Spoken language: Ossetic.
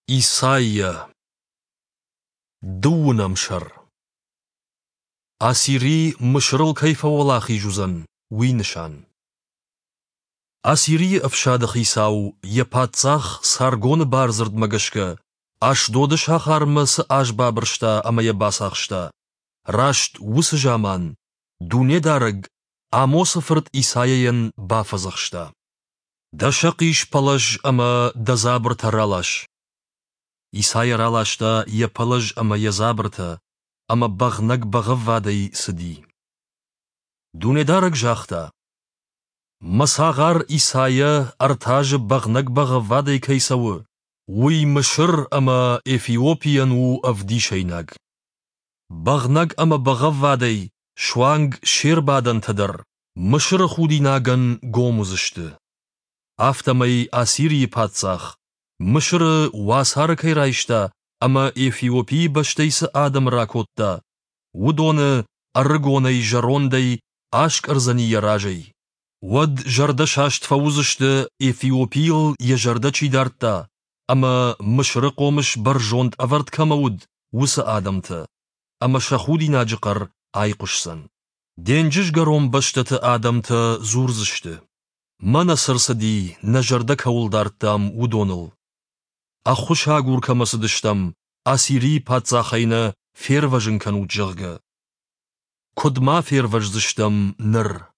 Исайя Дыууынӕм сӕр Ассири Мысырыл кӕй фӕуӕлахиз уыдзӕн, уый нысан. Ассирийы ӕфсады хицау йӕ паддзах Саргоны бардзырдмӕ гӕсгӕ Ашдоды сахармӕ цы аз бабырста ӕмӕ йӕ бацахста, раст уыцы заман Дунедарӕг Амосы фырт Исайайӕн бафӕдзӕхста: Дӕ сӕхъис пӕлӕз ӕмӕ дӕ дзабыртӕ ралас. Исайа раласта йӕ пӕлӕз ӕмӕ йӕ дзабыртӕ, ӕмӕ бӕгънӕг-бӕгъӕввадӕй цыди. Дунедарӕг загъта: Мӕ цагъар Исайа ӕртӕ азы бӕгънӕг-бӕгъӕввадӕй кӕй цӕуы, уый Мысыр ӕмӕ Эфиопийӕн у ӕвдисӕйнаг. Бӕгънӕг ӕмӕ бӕгъӕввадӕй суанг се рбадӕнтӕ дӕр Мысыры худинагӕн гом уыдзысты. Афтӕмӕй Ассирийы паддзах Мысыры уацары кӕй райста ӕмӕ Эфиопийы бӕстӕй цы адӕмы ракодта, уыдоны ӕрыгонӕй-зӕрондӕй аскъӕрдзӕни йӕ разӕй. Уӕд зӕрдӕсаст фӕуыдзысты, Эфиопийыл йӕ зӕрдӕ чи дардта ӕмӕ Мысыры хъомыс бӕрзонд ӕвӕрд кӕмӕ уыд, уыцы адӕмтӕ, ӕмӕ сӕ худинаджы хъӕр айхъуысдзӕн. Денджызгӕрон бӕстӕты адӕмтӕ дзурдзысты: Мӕнӕ цы рцыди, нӕ зӕрдӕ кӕуыл дардтам, уыдоныл. Ӕххуысагур кӕмӕ цыдыстӕм, Ассирийы паддзахӕй нӕ фервӕзын кӕнут, зӕгъгӕ. Куыд ма фервӕздзыстӕм ныр?